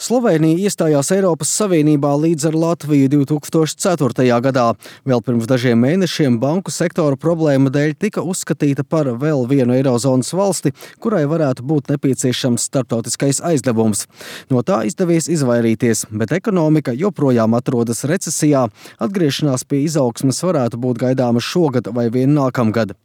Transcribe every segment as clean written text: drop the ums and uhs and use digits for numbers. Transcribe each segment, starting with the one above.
Slovēnija iestājās Eiropas Savienībā līdz ar Latviju 2004. gadā. Vēl pirms dažiem mēnešiem banku sektora problēma dēļ tika uzskatīta par vēl vienu Eirozonas valsti, kurai varētu būt nepieciešams starptautiskais aizdevums. No tā izdevies izvairīties, bet ekonomika joprojām atrodas recesijā. Atgriešanās pie izaugsmes varētu būt gaidāma šogad vai vien nākamgad.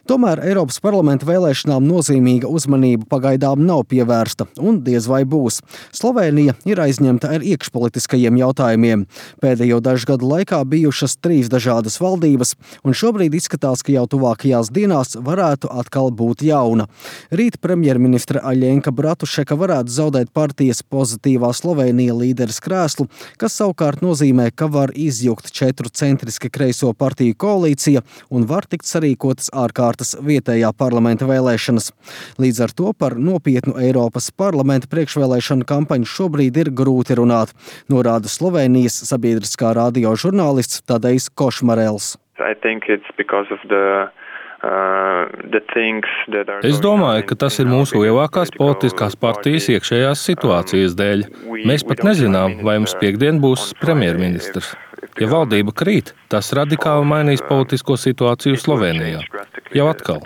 Tomēr Eiropas parlamenta vēlēšanām nozīmīga uzmanība pagaidām nav pievērsta un diez vai būs. Slovēnija ir aizņemta ar iekšpolitiskajiem jautājumiem. Pēdējo dažu gadu laikā bijušas 3 dažādas valdības, un šobrīd izskatās, ka jau tuvākajās dienās varētu atkal būt jauna. Rīt premjerministre Aļenka Bratušeka varētu zaudēt partijas Pozitīvā Slovēnija līderes krēslu, kas savukārt nozīmē, ka var izjukt 4 centriski kreiso partiju koalīcija un var tikt sarīkotas ārkārtas vietējā parlamenta vēlēšanas. Līdz ar to par nopietnu Eiropas parlamenta priekšvēlēšanu kampaņu šobrīd ir grūti runāt, norāda Slovēnijas sabiedriskā radio žurnālists Tadejs Košmarels. Es domāju, ka tas ir mūsu lielākās politiskās partijas iekšējās situācijas dēļ. Mēs pat nezinām, vai mums piektdien būs premjerministrs. Ja valdība krīt, tas radikāli mainīs politisko situāciju Slovēnijā. Jau atkal.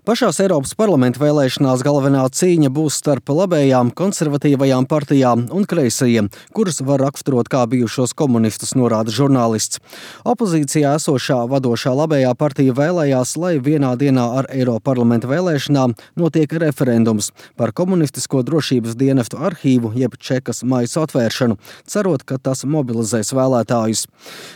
Pašās Eiropas parlamenta vēlēšanās galvenā cīņa būs starp labējām, konservatīvajām partijām un kreisajiem, kuras var raksturot kā bijušos komunistus, norāda žurnālists. Opozīcijā esošā vadošā labējā partija vēlējās, lai vienā dienā ar Eiroparlamenta vēlēšanām notiek referendums par komunistisko drošības dienestu arhīvu jeb čekas maisu atvēršanu, cerot, ka tas mobilizēs vēlētājus.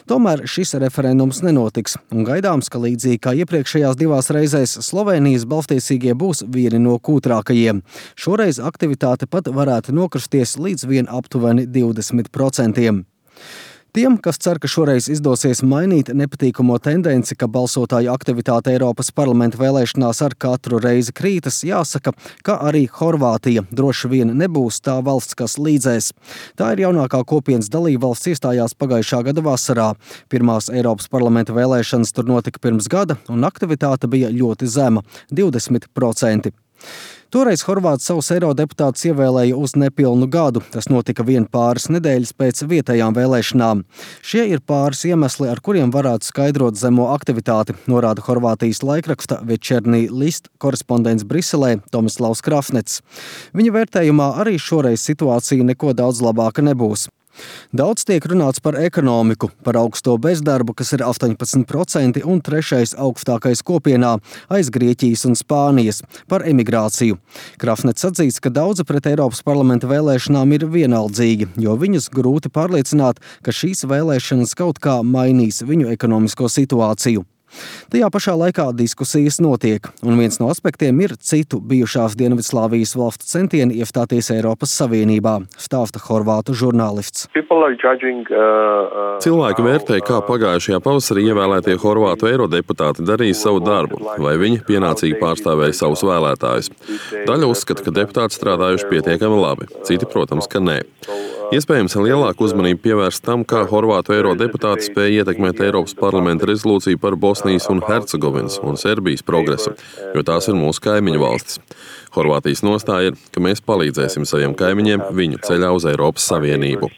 Tomēr šis referendums nenotiks, un gaidāms, ka līdzīgi kā iepriekšējās 2 reizēs Slovēnijas balsstiesīgie būs vieni no kūtrākajiem. Šoreiz aktivitāte pat varētu nokristies līdz vien aptuveni 20%. Tiem, kas cer, ka šoreiz izdosies mainīt nepatīkamo tendenci, ka balsotāju aktivitāte Eiropas parlamenta vēlēšanās ar katru reizi krītas, jāsaka, ka arī Horvātija droši vien nebūs tā valsts, kas līdzēs. Tā ir jaunākā kopienas dalībvalsts, iestājās pagājušā gada vasarā. Pirmās Eiropas parlamenta vēlēšanas tur notika pirms gada, un aktivitāte bija ļoti zema – 20%. Toreiz Horvāti savus eirodeputātus ievēlēja uz nepilnu gadu. Tas notika vien pāris nedēļas pēc vietējām vēlēšanām. Šie ir pāris iemesli, ar kuriem varētu skaidrot zemo aktivitāti, norāda Horvātijas laikraksta Večernī list korespondents Briselē Tomislavs Krafnets. Viņa vērtējumā arī šoreiz situācija neko daudz labāka nebūs. Daudz tiek runāts par ekonomiku, par augsto bezdarbu, kas ir 18% un 3. augstākais kopienā aiz Grieķijas un Spānijas, par emigrāciju. Krafnets atzīst, ka daudzi pret Eiropas parlamenta vēlēšanām ir vienaldzīgi, jo viņus grūti pārliecināt, ka šīs vēlēšanas kaut kā mainīs viņu ekonomisko situāciju. Tajā pašā laikā diskusijas notiek, un viens no aspektiem ir citu bijušās Dienvidslāvijas valstu centieni iestāties Eiropas Savienībā, stāsta horvātu žurnālists. Cilvēki vērtē, kā pagājušajā pavasarī ievēlētie horvātu eirodeputāti darīja savu darbu, vai viņi pienācīgi pārstāvēja savus vēlētājus. Daļa uzskata, ka deputāti strādājuši pietiekami labi, citi, protams, ka nē. Iespējams, lielāku uzmanību pievērst tam, kā horvātu eirodeputāti spēja ietekmēt Eiropas parlamenta rezolūciju par Bosnijas un Hercegovinas un Serbijas progresu, jo tās ir mūsu kaimiņu valstis. Horvātijas nostāja ir, ka mēs palīdzēsim saviem kaimiņiem viņu ceļā uz Eiropas Savienību.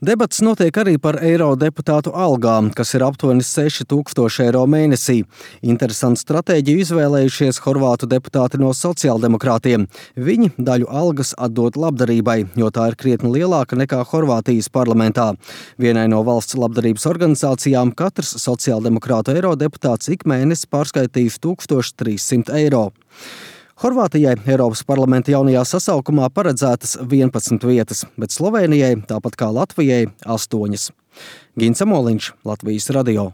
Debats notiek arī par eirodeputātu algām, kas ir aptuveni 6,000 eiro mēnesī. Interesantu stratēģiju izvēlējušies horvātu deputāti no sociāldemokrātiem. Viņi daļu algas atdod labdarībai, jo tā ir krietni lielāka nekā Horvātijas parlamentā. Vienai no valsts labdarības organizācijām katrs sociāldemokrātu eirodeputāts ik mēnesi pārskaitīs 1300 eiro. Horvātijai Eiropas parlamenta jaunajā sasaukumā paredzētas 11 vietas, bet Slovēnijai, tāpat kā Latvijai, 8. Gins Amoliņš, Latvijas radio.